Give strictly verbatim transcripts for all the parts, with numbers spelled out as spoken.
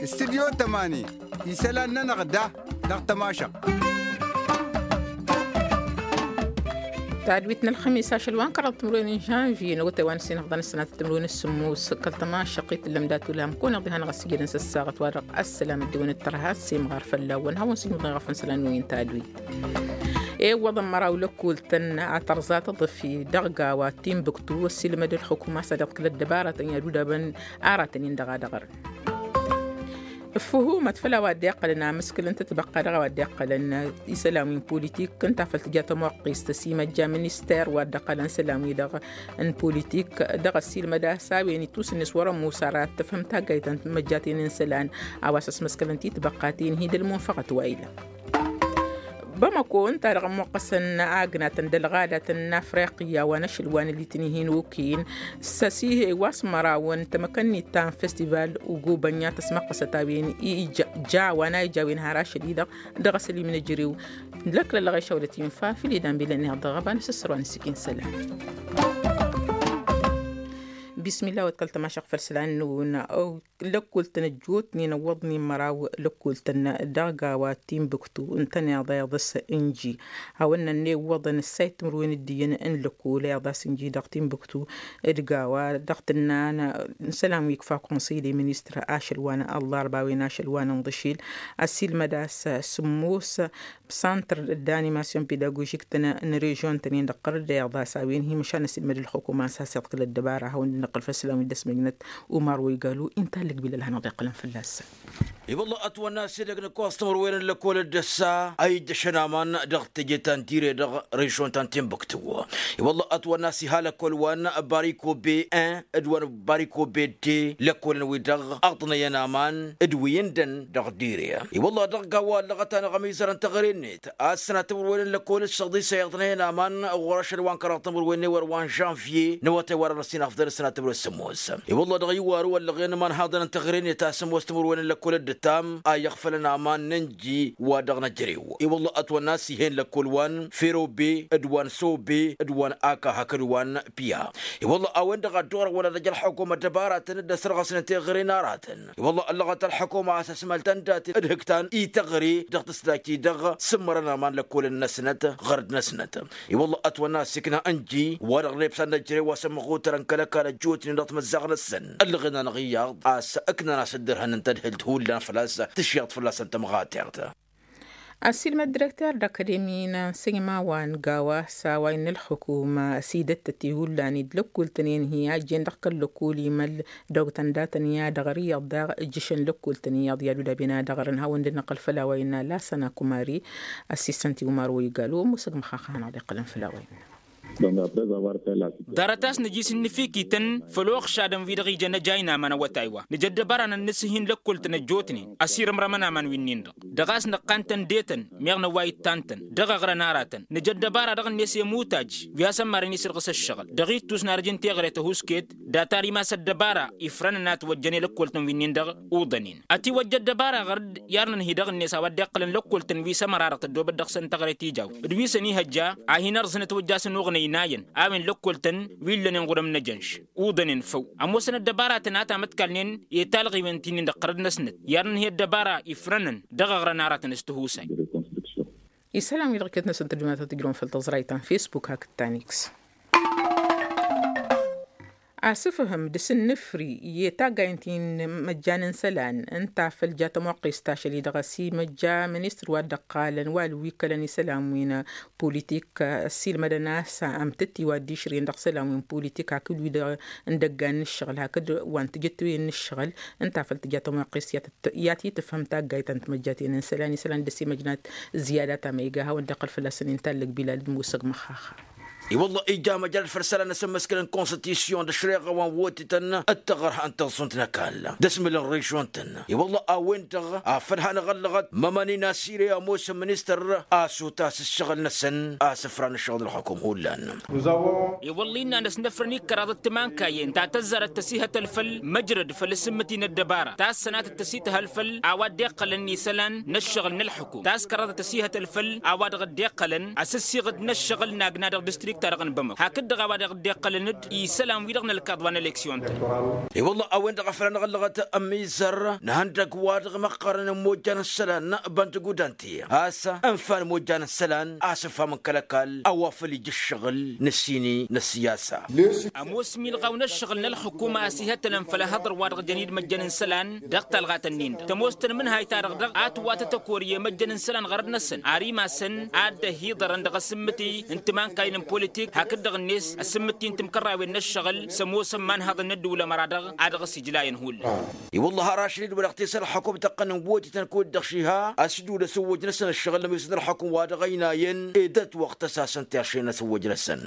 Studyo tămani isălan-nănăɣ da dăɣ-tămašăɣt. Tadwit n-ălxămis ašăl wa n-kăraḍ timǝrwen n-žănvye n-awătay wa n-sinăɣḍan ăssanat timǝrwen s-sǝmmos kăl-tămašăɣt i-tǝllăm dat-ulam kăwăn-iḍihan ɣas ijădăn s-ăssaɣăt wa dăɣ-ăssălam ăddewăn d-tărha s-imɣar fălla-wăn hawăn-sǝjmǝḍăn ɣef n-isălan-wi n-tadwit. Iwwăḍăn măraw lăkkol-tăn a tărẓa tăḍăfi dăɣ-gawa timbuktu ăssiilmăd ălxukuma s-ad-iḍkǝl ăddăbaratăn i-ad-udabăn aratăn-in dăɣ-ad-ăɣrǝn. Ǝffǝhumăt făll-a-wa dd-iqqălăn amǝskǝl n-tǝtbăqqa dăɣ-a-wa dd-iqqălăn isălan wi n-politik ǝnta a făl tǝja tămoqqist s-imăjja minister wa dd-iqqălăn isălan-wi-dăɣ n-politik dăɣ-ăssiilmăd a-s a-wen ittusǝnnes wăr-ămoos ara ad-tǝfhǝm taggayt ta n-timăjjaten n-isălan a-wa s-ăsmăskălăn titbăqqaten hi-dăl-munfăɣăt wa ila. Bamăko ǝnta-dăɣ ămmuqqăsăn agnatăn d-ălɣadatăn n-afriqya wa n-ašăl wa n-alitnihin okin s-ăsihe wa s-mărawăn tamăkănnit ta n-festival ugubănya tăsmăqqăsăt a-wen ija wa n-a ija a-wen har ašăl-i-dăɣ dăɣ-asălim n-ejărew. Lăklăllăɣ išawălăt infa filidan bilăn iɣ dăɣ-ăba n-asǝssăr wa n-sikin sălam. Bismillah wa t-kăl-tămašăɣ făll-sălan-năwăn. Lăkkol-tăn ăjjootnen ăwwăḍnen măraw lăkkol-tăn dăɣ-gawa timbuktu ǝntăneḍ a iḍăs ǝnji. Hawăn-nănna iwwăḍăn ǝssay timǝrwen d-iyyăn n-lăkkol a iḍas ǝnji dăɣ-timbuktu d-gawa dăɣ-tǝnna n-isălan wi ikfa konsăy de ministră ašăl wa n-ăllarba a-wen ašăl wa n-inḍǝšil. Ăsiilmăd a-s sǝmmos santr d-animasyon pedagožik-tăn n-režyon-tăn-in dăɣ-tărădda iḍas a-wen hi-măšan ăsilmăd ǝlxukuma s-has-iḍkǝl ăddăbara a hawăn-dd-năqqǝl făll-isălan wi dd-ăsmăjnăt. Umar wa igalu inta ǝllǝg bilal hanăɣ-dd-iqqălăn fălla-săn. I-wălla ătwănna s-edăgg n-ǝkkoẓ timǝrwen n-lăkkol dd-ăssa a ijjăšăn aman dăɣ-teje ta n-tire dăɣ-režyon ta n-timbuktu. I-wălla ătwănna s-iha lăkkol wa n-bariko be-en d-wa n-bariko be-de lăkkolăn-wi-dăɣ ăḍnăyăn aman d-wi ǝndăn dăɣ-dire. I-wălla dăɣ-gawa ăllăɣăt-anăɣ ămizărăn teɣăre-net a ǝssănat timǝrwen n-lăkkol d-săḍisa iḍnăyăn aman ɣur-ašăl wa n-kăraḍ timǝrwen n-ewăr wa n-žănvye n-awătay wa dăɣ-năsinafḍăn ăssănat timǝrwen s-sămmos. I-wălla dăɣ-iwaru ăllăɣen iman haḍăn n-teɣăre-net a sămmos timǝrwen n-lăkkol dd-ǝttam a iɣfălăn aman n-ǝnji wa dăɣ-năjrew. I-wălla ătwănna s-ih'-en lăkkol wa n-ferobe d-wa n-sobe d-wa n-aka hakd wa n-piya. I-wălla a-wen-dăɣ a dd-orăɣ wăla d-ăj ălḥukuma ăddăbaratăn dd-ăsrăɣăsnen teɣăre n-aratăn. I-wălla ăllăɣăt ălḥukuma a-s ăsmăl tăn-daten d-hǝktan i-teɣăre dăɣ-tǝsdajt-i-dăɣ sǝmmărăn aman lăkkolăn-năsnăt ɣărd-năsnăt. I-wălla ătwănna a-s ikna ǝnji wa-dăɣ n-ebsan n-ăjrăy wa s-ămmăɣutărăn kăl-ăkall ăjjootnen dăɣ-timǝzzaɣ-năsăn ăllăɣen-anăɣ iyyăḍ a-s ǝknan a-s dd-ărhănăn tadhǝlt hullan făl-a-s tǝšyaḍ fălla-săn tămɣateɣt. Ăsiilmăd direkter d-akademi n-ansăyma wa n-gawa s-a-wa innă ălxukuma s-idăttăt i-hullan-i d-lăkkul-tăn-en hi-ajjen dăɣ-kăl-lăkkul imăl dăɣ-tăn datăn i-ad-ăɣrǝyăḍ daɣ ǝjjǝšăn lăkkul-tăn iyyăḍ i-ad-udaben ad-ăɣrǝn hawăn-dd-năqqăl făll-a-wa innă lasăna kumari. Ăssiisăn-t i-umar wa igalu musăg măxaxa hanăɣ-dd-iqqălăn făll-a-wa innă. Ḍarăt a-s nǝjis ǝnnǝfikităn făll-oxšadăn wi-dăɣ ijăn ăjay n-aman awătay wa nǝja ăddăbara-nănn s-ih'-in lăkkol-tăn ăjjootnen ăsirǝmrămăn aman wi-nin-dăɣ dăɣ-a-s năqqan-tăn d-etăn meɣ năwway ǝttan-tăn dăɣ-eɣrăn aratăn. Nǝja ăddăbara dăɣ-net i-ămuttaj wi has-ămmarăn isǝrɣǝs ăššăɣǝl dăɣ-ittus n-arjǝn teɣăre tăhuusket data ar imas ăddăbara ifrănăn a ătwăjjăn i-lăkkol-tăn wi-nin-dăɣ uḍănen. Ătiwăjja ăddăbara ɣăr-dd i-arnăn hi-dăɣ-net a-wa dd-iqqălăn lăkkol-tăn wi s-ămăra-dăɣ tăddoobăt dăɣ-săn teɣăre tijawt d-wi s-ănihăjja a hin-ărẓǝn ătwăjja a-s ănuɣnăy n-ayăn a-wen lăkkol-tăn wi ǝllănen ɣur-ămnăjănš. Uḍănen făw ămoosăn ăddăbaratăn a tamătkalnen i-talɣiwen ti-nin-dăɣ ɣărăd-năsnăt i-arnăn hi-ăddăbara ifrănăn dăɣ-eɣrăn aratăn s-tihusay. Isălan-wi-dăɣ iket-năsăn tăddumatăt tǝjrăwăn făll-tăẓrayt ta n-fesbuk hakd ta n-x. Asǝfhǝm d-asǝnnǝfri i-taggaynt-in măjjan n-isălan ǝnta făll-ja tămoqqest ašăl-i-dăɣ ăsimăjja ministăr wa dd-ăqqalăn wal wi kălăn isălan wi n-politik ăssiilmădăn a-s amtǝtti wa dd-išrǝyăn dăɣ-isălan wi n-politik hakd wi dăɣ-n dăggan n-ǝššăɣǝl hakd wa n-tijǝtwen n-ǝššăɣǝl. Ǝnta făl tǝja tămoqqest i-ad-t-tǝfhǝm taggayt ta n-timăjjaten n-isălan isălan dd-ăsimăjnat ziyada ta ma iga a hawăn-dd-iqqăl fălla-săn inta ǝllăg bilal d-musăg măxxaxa. I-wălla ija măjrad făll-isălan asǝmmǝskǝl n-konstitusyon d-ašreɣa wa n-wotităn d-taɣărha n-taẓẓunt n-ăkall d-asmǝl n-režyon-tăn. I-wălla a-wen-dăɣ afăl hanăɣ-ăllăɣăt mămăni n-asire ămoosăn ministăr a-s otas ǝššăɣǝl-năsăn a-s ǝfran ǝššăɣǝl ălxukum hullan. I-wălla innă ad-năsnăfrăn ikkăraḍ d-timankayen ta tăzzarăt tăsihăt ălfăl măjrăd făll-asǝmmǝti n-ăddăbara ta ăssănatăt tăsităhăl făll-a-wa dd-iqqălăn isălan n-ăššăɣǝl n-ălxukum ta s-kăraḍăt tăsihăt ălfăl a-wa dăɣ-dd-iqqălăn asǝssiɣǝd n-ăššăɣǝl n-agna dăɣ-distrik. Ta-dăɣ n-bamăk hakd-dăɣ a-wa dăɣ-dd-iqqălăn-dd isălan-wi-dăɣ n-ălkaḍ wa n-eleksyon-tăn. I-wălla a-wen-dăɣ a făl a năɣ-ăllăɣăt ămizăr n-ihăndăgg-wa-dăɣ măqqărăn n-imojjan n-isălan băntăgudant-i a-s ǝnfa n-imojjan n-isălan a-s ǝnfa mǝnkăl ăkall a-wa făl ija ǝššăɣǝl n-ǝssin-i n-ăssiyasa. Ămoos milɣaw n-ǝššăɣǝl n-ălxǝkum a-s ihătănăn făll-ehăḍăr wa dăɣ-jăn-dd măjjăn n-isălan dăɣ-talɣat-ǝnnin-dăɣ tămoos tăn-imǝnhayt-ta-dăɣ dăɣ-a tǝwwatăt ăkor i-măjjăn n-isălan ɣărăt-năsăn ar imasăn ad-dd-ăhiḍărăn dăɣ-asǝmmǝti n-timankayăn n-politik hakd-dăɣ-net asǝmmǝti n-timkărrawen n-ǝššăɣǝl s-ămoosăn imanhăḍăn n-ăddăwlăm ăra-dăɣ a dăɣ-s ijlayăn hullan. I-wălla har ašăl-dd wa dăɣ-t-isălxăkum tăqqăn n-wăjităn kud-dăɣ šiha a-s dd-wăr-ăsǝwwăj-năsăn ǝššăɣǝl n-ămiwǝsnăt ălxăkum wa dăɣ-ăynayăn ed ătwăɣ tăsasăn ti-ašăl n-asǝwwăj-năsăn.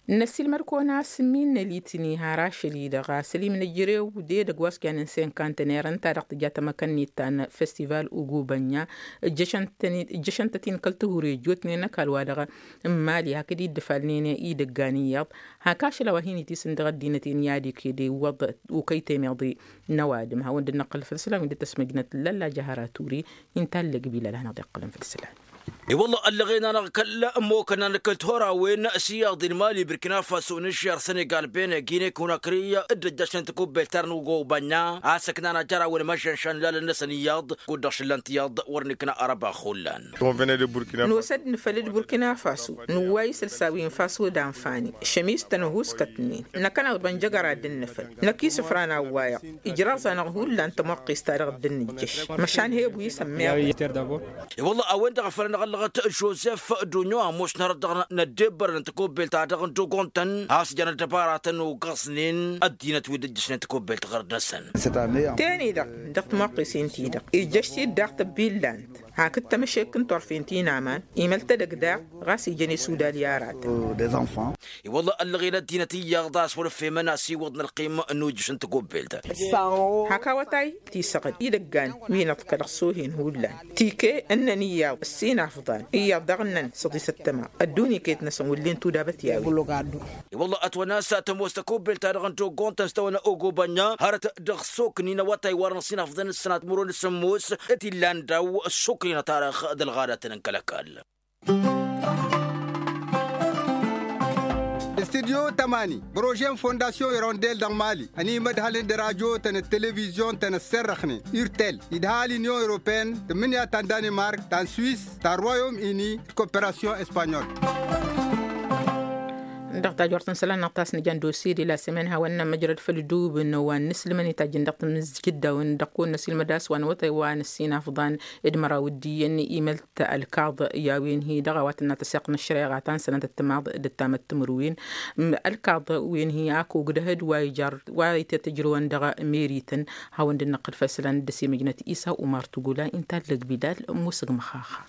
Năsiilmăd-kăwăn a-s ǝmmin n-elitni har ašăl-i-dăɣ a-s ălimnăjrew d-edăgg wa s-jannen senkantener ǝnta-dăɣ tǝja tamăkănnit ta n-festival ugubănja. Ǝjjăšăn-tăt-in kăl-tihurejotnen ăkall-wa-dăɣ n-imali hakd iddǝfalnen idăggan iyyăḍ hak ašăl a-wa hin-itisǝn dăɣ-ăddinăt-en i-ad-iked iwwăḍ ukăy temeḍe n-ăwadǝm hawăn-dd-năqqǝl făll-isălan wi dd-tăsmăjnăt lălla jahăra ture. Inta ăllăg bilal a hanăɣ-dd-iqqălăn făll-isălan. I-wălla ăllăɣen-anăɣ kăl-ămmokăn-anăɣ kăl-tihorawen s-iyyăḍ i-mali burkina faso n-ǝžžer senegal bene gine kunakri dd-ăjjăšnen takubbelt ta dăɣ-nǝwăgg obanya a-s ǝknan ajărawen măžžănšan lalăn-năsăn iyyăḍ kud-dăɣ šǝllan-t iyyăḍ wăr nǝkna arăba hullan. Nǝwăsăd nǝfăl d-burkina faso nǝwway isălsa wi n-faso d-anfani šămis-tăn ăhuuskătnen năkk-anăɣ-dd bănjăgăra dd-nǝfăl năkk isǝfran a ǝwwayăɣ. Ijraẓ-anăɣ hullan tămoqqist-ta-dăɣ dd-nǝjjăš măšan he-ăbu isămmeḍ. I-wălla a-wen-dăɣ a făl anăɣ-ăllăɣăt žozef dunyo ămoos n-hărăt dăɣ-năddebbărăn n-takobbelt-ta-dăɣ n-dogon-tăn a-s jan ăddăbaratăn ogăẓnen ăddinăt wi dd-ǝjjăšnen takobbelt ɣărăt-năsăn. Ten-i-dăɣ dăɣ-timoqqisen-ti-dăɣ ijjăš-t-dd daɣ tăbbillant hakd tămăšek n-turfen ti n-aman imăl-tădăgg daɣ ɣas ijăn isudal i-aratăn. I-wălla ăllăɣen ăddinăt iyyăḍ a-s wăr-ăffemăn asiwăḍ n-ălqim n-ujǝš n-takobbelt. Hak awătay tisăɣăd idăggan wi n-aḍkălăɣ s-ohen hullan tike ǝnnăn iyyăḍ ǝssin afḍan iyyăḍ daɣ ǝnnăn săḍisăt tăma ăddunya iket-năsăn wǝllen tudabăt i-a-wen. I-wălla ătwănna a-s tămoos takobbelt-ta-dăɣ n-toggontăn s-tawănna ogobănna hărăt dăɣ-soknin awătay wa dăɣ-năsinafḍăn s-sănat măro n-sămmos. T-illan daw-soknin a tarăx d-ălɣadatăn n-kăl-ăkall. Studyo tămani prože n-fondasyon irondel dăɣ-mali ănimădhălăn d-radyo-tăn d-televizyon-tăn ăsserrăxnen urtel idha l-inyon europene tǝmmǝnǝya ta n-danimark ta n-swis ta n-royom ini d-koperasyon espanyol. Dăɣ-tajort n-isălan-năɣ ta s-nǝja n-dosye d-ila s-emen hawăn-nămăjrăd făll-idubǝn wa n-inǝslǝmăn itajjăn dăɣ-tamǝzjǝd-awăn dăɣ-kăwăn-năsilmăd a-s wa n-awătay wa n-ǝssin afḍan d-măraw d-iyyăn imăl ta ălkaḍ i-a-wen-hi-dăɣ a-wa tǝnna tăseɣt n-ăššăreɣa ta n-sănătăt timaḍ d-ăttamăt timǝrwen. Ălkaḍ-wen-hi ak ogdăhăd wa ijar wa ităt ǝjrăwăn dăɣ-merităn. Hawăn-dd-năqqǝl făll-isălan dd-ăsimăjnăt isa umar tugula inta ăllăg bilal musǝg măxaxa.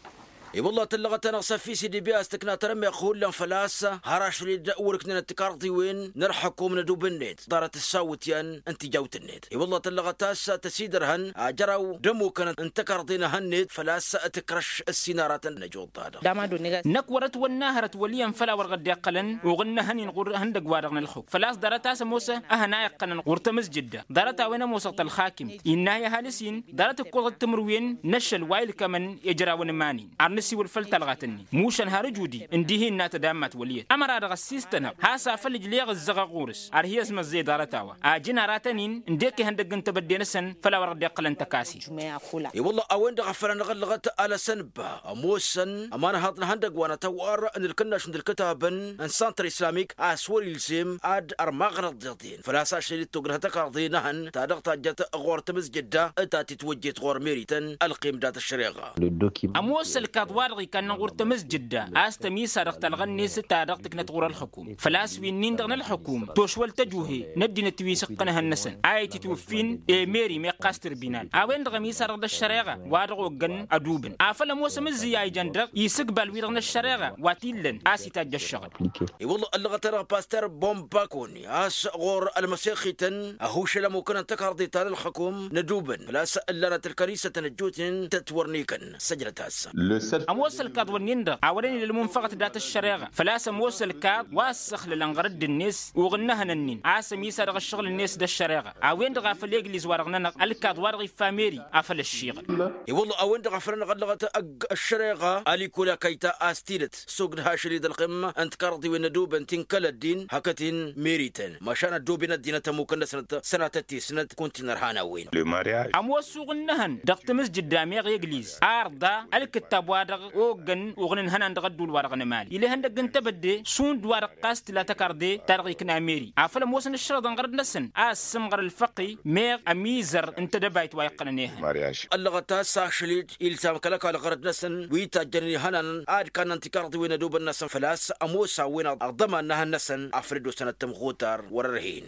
I-wălla tăllăɣăt-anăɣ s-ăfis idibya a-s tǝkna tarămmeɣt hullan făl-a-s har ašăl-dd wăr-ǝknănăt tikarḍiwen n-ălxukum n-ădub-net ḍarăt ǝssawǝtyan n-tijawt-net i-wălla tăllăɣăt a-s tăsidărhăn ajăraw d-ămmukăn n-tikarḍin ehăn-net făl-a-s tǝkrăš ǝssin aratăn n-ăjoḍ-ta-dăɣ. Năkk wăr-ătwănna hărăt wăl' iyyăn făll-a-wăr ɣǝddeɣ iqqălăn uɣǝnnăhăn-in ɣur-ihăndăgg-wa-dăɣ n-ălxuk făl-a-s ḍarăt a-s ămoos ehăn a iqqănăn ɣur-tamǝzjǝdda ḍarăt a-wen ămoosăɣ tălxakimt innă a iha l-isin ḍarăt ǝkkoẓăt timǝrwen n-ašăl wa ilkămăn i-ijrawăn iman-in ar nǝsiwǝl făll-talɣat-nin mušan har ǝjudi ǝndihi innă tădammat wăl' iyyăt ămăra-dăɣ ăssiistănăɣ has-afăl ǝjleɣ ǝzzăɣăɣ ɣur-s ar hi-ăzmăzzăy ḍarăt-a-wa ajǝn aratăn-in ǝndek ihăndăgg n-tebădde-năsăn făll-a-wăr ɣǝddeɣ iqqălăn tăkase. I-wălla a-wen-dăɣ a făl anăɣ-ăllăɣăt alăsăn ba ămoosăn ămanhaḍ n-ihăndăgg wa n-atăwwar n-ǝlkǝnnaš n-ǝlkǝtabăn n-săntră islamik a-s wăr-ilzem ad-ărmaɣăn ăḍḍeḍen făl-a-s ašăl-i d-togdăh tăkarḍe n-ehăn ta dăɣ-tajjăt ɣur-tamǝzjǝdda ta titwăjjet ɣur-merităn ălqim dat-ăššăreɣa. Ămoos ălkaḍ-wa-dăɣ ikannăn ɣur-tamǝzjǝdda a-s tămisa dăɣ-talɣa-net ta dăɣ-tǝknăt ɣur-ălxukum făl-a-s wi-nin-dăɣ n-ălxukum tošwăl tăjuhe n-ăddinăt wi s-ǝqqǝnăhăn-năsăn a ititwǝffin i-meri meɣ ɣas tǝrbinal a-wen-dăɣ ămisa-dăɣ d-ăššăreɣa wa dăɣ-oggăn ădubǝn afăl ămoos amǝzzǝy a ijan dăɣ-isǝgbal-wi-dăɣ n-ăššăreɣa wa t-illăn a-s itajj ăššăɣǝl. I-wălla ăllăɣăt-anăɣ paster bombakoni a-s ɣur-ălmăsexităn ăhušăl ămukăn n-tăkarḍe ta n-ălxukum n-ădubǝn făl-a-s ǝllanăt ălkănisătăn ăjjootnen tătwărnikăn săjdăt-as. Ămoos ălkaḍ-wǝnnin-dăɣ a wărăn ila ălmunfăɣăt dat-ăššăreɣa făl-a-s ămoos ălkaḍ wa ăssăxlălăn ɣărădd-net uɣǝnnăhăn-nin a-s ămisa dăɣ-ǝššăɣǝl-net d-ăššăreɣa a-wen-dăɣ a făl egliz-wa-dăɣ-nănăɣ ălkaḍ-wa-dăɣ iffa meri. Afăl ăššiɣǝl. I-wălla a-wen-dăɣ a fărăn ăɣăllăɣăt ăgg ăššăreɣa a likol akayta a-s tidǝt sogd hašăl-i d-ălxim n-tikarḍiwen n-ădobăn ti n-kăl-ăddin hakd-in merităn mašan ăddoben ăddinăt ămmukăn-năsnăt sănatăt ti-snăt kunta inărhan a-wen. Ămoos uɣǝnnăhăn dăɣ-tamǝzjǝd d-ameɣ egliz arḍa ălkǝttab-wa-dăɣ oggăn uɣǝn ǝnhănan dăɣ-ădduul-wa-dăɣ n-emali ila ihăndăgg n-tebădde šund-wa-dăɣ ɣas tǝla tăkarḍe ta dăɣ-ikna meri afăl ămoosăn ǝššărăḍăn ɣărăd-năsăn a ăssǝmɣăr ălfăqi meɣ ămizăr n-tedăbayt wa iqqălăn ehăn. Ăllăɣăt a-s ašăl-dd ilsam kăl-ăkall ɣărăd-năsăn wi tajjănen ihănanăn ad-kannăn tikarḍiwen ădobăn-năsăn făl-a-s ămoos a-wen aḍăman n-ehăn-năsăn afăl dd-osăn ad-tămɣutar wăr-ărhen.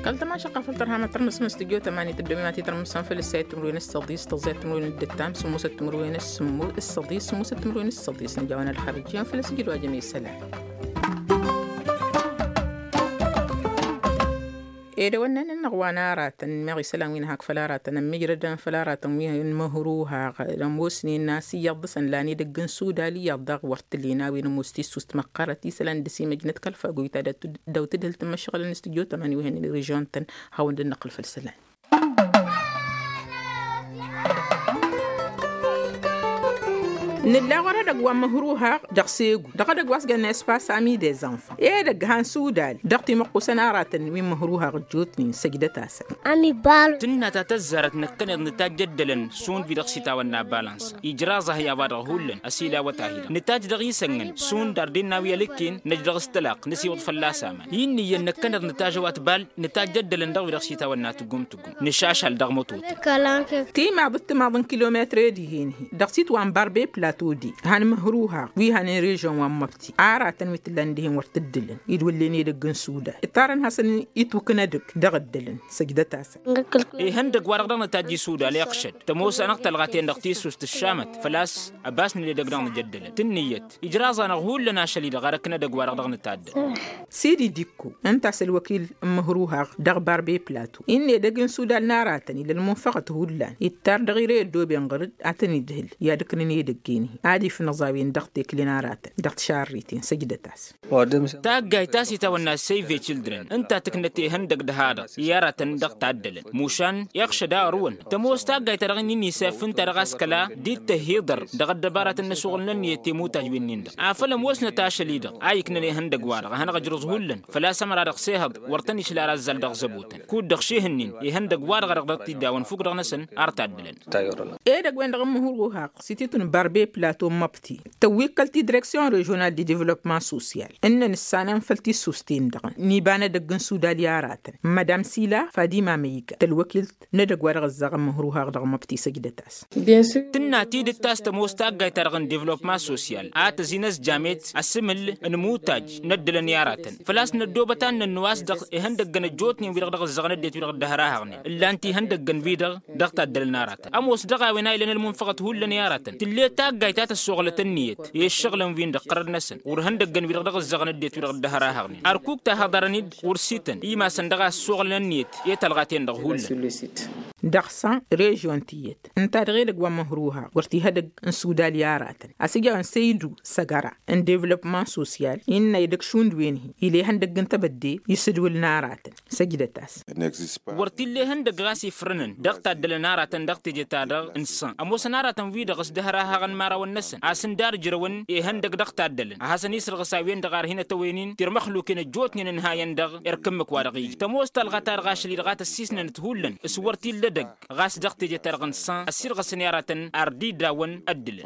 Kăl-tămašăqqa făl tărha mătrămăsmăn s-tijjo tămani tăddomi ma titrămăsmăn făl ǝssayăt timǝrwen s-săḍis tăẓẓayăt timǝrwen d-ǝttam sǝmmosăt timǝrwen s-sǝmmos s-săḍis sǝmmosăt timǝrwen s-săḍis nǝja a-wen ălxărăj iyyăn făl-ăsjǝd wa jăme isălan. Edăwănnan-nănăɣ wa n-aratăn meɣ isălan wi n-hak făll-aratăn ămmijrădăn făll-aratăn wi n-măhruhaɣ ămoosnen n-asǝyyăḍ dăɣ-săn lan edăgg n-sudal iyyăḍ daɣ wăr t-ǝllen a-wen ămoos tissust măqqărăt isălan dăr-s imăjnăt kăl-fagoyt ta daw-tǝdhǝlt n-imăšɣălăn s-tijot ămani wi hănen režion-tăn. Hawăn-dd-năqqǝl făll-isălan. Nǝlla ɣur-edăgg wa n-măhruhaɣ dăɣ-segu dăɣ-edăgg wa s-jănna espas ami dezănfa edăgg han sudal dăɣ-timăqqusăn aratăn wi n-măhruhaɣ ăjjootnen săjdăt-asăn. Tǝnna ta tăzzarăt năkkăneḍ nǝtajj ăddălăn šund wi-dăɣ s-itawănna balănsa ijraẓ-ahi a-wa-dăɣ hullan ăsilawăt-ahi-dăɣ nǝtajj dăɣ-isăngăn šund arden n-a-wi ălǝkken năj dăɣ-s tălaqq nǝsiwǝḍ fălla-s aman i n-iyyăn năkkăneḍ nǝtajj a-wa tbal nǝtajj ăddălăn dăɣ-wi-dăɣ s-itawănna tǝggum-tǝggum. Nǝšašal dăɣ-mătot. Timaḍ d-timaḍ n-kilometr ed ihen-hi dăɣ-s itwănbar beplăto de han măhruhaɣ wi hanen režion wa n-măbti aratăn wi t-ǝllan d-ihen wăr t-ǝddǝlăn idwǝllen edăgg n-sudan ǝttarăn hasăn-itwǝknădăg dăɣ-ăddălăn. Săjdăt-asăn. Ihăndăg-wa-dăɣ dăɣ-nǝtajj isudal iɣšăd tămoos-anăɣ talɣa-ten-dăɣ tissust ǝššamăt făl-a-s ăbasnen edăgg dăɣ-nǝjăddălăn tǝnnǝyăt ijraẓ-anăɣ hullan ašăl-i-dăɣ ar ǝknădăg-wa-dăɣ dăɣ-nǝtaddăl. Sidi dikko ǝnta a-s ălwăkil n-măhruhaɣ dăɣ-barbe plato innă edăgg n-sudal n-aratăn ila ălmunfăɣăt hullan ittar dăɣ-ire ăddoben ɣăr-dd ad-tăn-idhǝl i-ad-ǝknǝn edăgg-en-hi ad-ifnăẓ a-wen dăɣ-tekle n-aratăn dăɣ-tišarriten săjdăt-as. Taggayt ta s-itawănna save children ǝnta tǝknăt ihăndăg d-ha-dăɣ i-aratăn dăɣ-taddălăn mušan iɣšăd a ărwăn tămoos taggayt-ta-dăɣ ǝnnin isaf ǝnta dăɣ-a-s kăla d-dd-tăhhiḍăr dăɣ-ăddăbaratăn n-ăsuɣǝlnăn iyyăt i-imutaj wi-nin-dăɣ afăl ămoosnăt ašăl-i-dăɣ a iknăn ihăndăg-wa-dăɣ a hanăɣ-ǝjrǝẓ hullan făl-a-s ămăra dăɣ-sehăḍ wăr tăn-išla ar azzal dăɣ-zăbotăn kud-dăɣ šihǝnnin ihăndăg-wa-dăɣ a dăɣ-dăɣ t-iddawăn fukk-dăɣ-năsăn ar taddălăn. Edăgg-wen-dăɣ n-măhruhaɣ s-ititun barbe plato n-măbti tăwwikkăl ti direksyon režional di developman sosyal ǝnnăn ǝssanăn făll-tissust-en-dăɣ n-iba n-edăgg n-sudal i-aratăn madam sila fadima măyga tălwăkilt n-edăgg wa dăɣ-ăzzaɣăn măhruhaɣ dăɣ-măbti săjdăt-as. Tǝnna tidǝt ta s-tămoos taggayt-ta-dăɣ n-devlopman sosyal a tăzin ăzjam-et asǝmǝl n-imutaj n-ăddălăn i-aratăn făl-a-s năddoobăt ad-nănnu a-s dăɣ-ihăndăggăn ăjjootnen wi-dăɣ dăɣ-ǝzzăɣăn ăddinăt wi-dăɣ dd-hărahăɣnen ǝllan-t ihăndăggăn-wi-dăɣ dăɣ-taddălăn aratăn ămoos dăɣ-a-wen a ilăn ălmunfăɣăt hullan i-aratăn tǝlle taggayt ta tăssoɣlăt ǝnniyăt i-ǝššăɣǝlăn-win-dăɣ ɣărăd-năsăn ɣur-ihăndăggăn-wi-dăɣ dăɣ-ǝzzăɣăn ăddinăt wi-dăɣ dd-hărahăɣnen ărkuk ta haḍărăn-dd ɣur-sităn imasăn dăɣ-a ăssoɣlăn ǝnniyăt i-talɣa-ten-dăɣ hullan. Dăɣ-săn režyon tiyyăt ǝnta dăɣ-edăgg wa n-măhruha wăr t-ihădăgg n-sudal i-aratăn a-s ija a-wen săydu săgăra n-devlopman sosyal innă edăgg šund wen-hi ila ihăndăgg n-tebădde isǝdwǝl n-aratăn. Săjdăt-as. Wăr t-illa ihăndăgg ɣas ifrǝnăn dăɣ-taddălăn aratăn dăɣ-teje-ta-dăɣ n-săn ămoosăn aratăn-wi-dăɣ s-dd-hărahăɣăn imărawăn-năsăn a-s ǝndar ǝjrăwăn ihăndăgg dăɣ-taddălăn a hasăn-isǝrɣǝs a-wen-dăɣ arhinăt a-wen-in tirmăxluken ăjjootnen ǝnhayăn dăɣ-irk ǝmmǝk wa dăɣ-ija tămoos talɣa-ta-dăɣ ašăl-i-dăɣ a tăssisnănăt hullan s-wăr t-illa edăgg ɣas dăɣ-teje-ta-dăɣ n-săn ăssirɣăsăn i-aratăn ar dd-idawăn ăddǝlăn.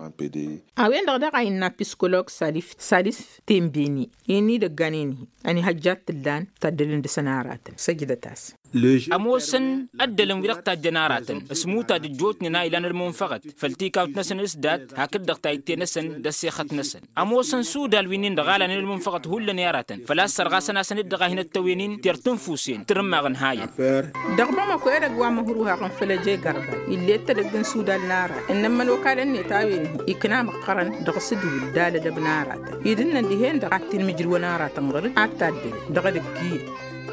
A-wen-dăɣ daɣ a innă apiskologs salif salif tembeni i-ănidăggan-in-hi ănihăjjat t-ǝllan taddǝlăn dăɣ-săn aratăn săjdăt-as. Ămoosăn ăddălăn wi-dăɣ tajjăn aratăn s-imutaj ăjjootnen a ilan ălmunfăɣăt făll-tikawt-năsăn s-dat hakd-dăɣ tayǝtte-năsăn d-ăssexăt-năsăn ămoosăn sudal wi-nin-dăɣ a lanen ălmunfăɣăt hullan i-aratăn făl-a-s sărɣasăn-asăn-dd dăɣ-a hin-ăttăwen-in tirtǝnfusen tǝrǝmmaɣ ǝnhayăn. Dăɣ-bamako edăgg wa n-măhruhaɣăn făll-ăje gărba ill'-e t-edăgg n-sudal n-aratăn ǝnnăn imănokalăn-net a-wen-hi ikna măqqărăn dăɣ-s ǝdǝwǝl d-alădăb n-aratăn idǝnnăn dihen-dăɣ ad-t-inmǝjrǝwăn aratăn ɣăr-dd ad-taddălăn dăɣ-edăgg iyyăn.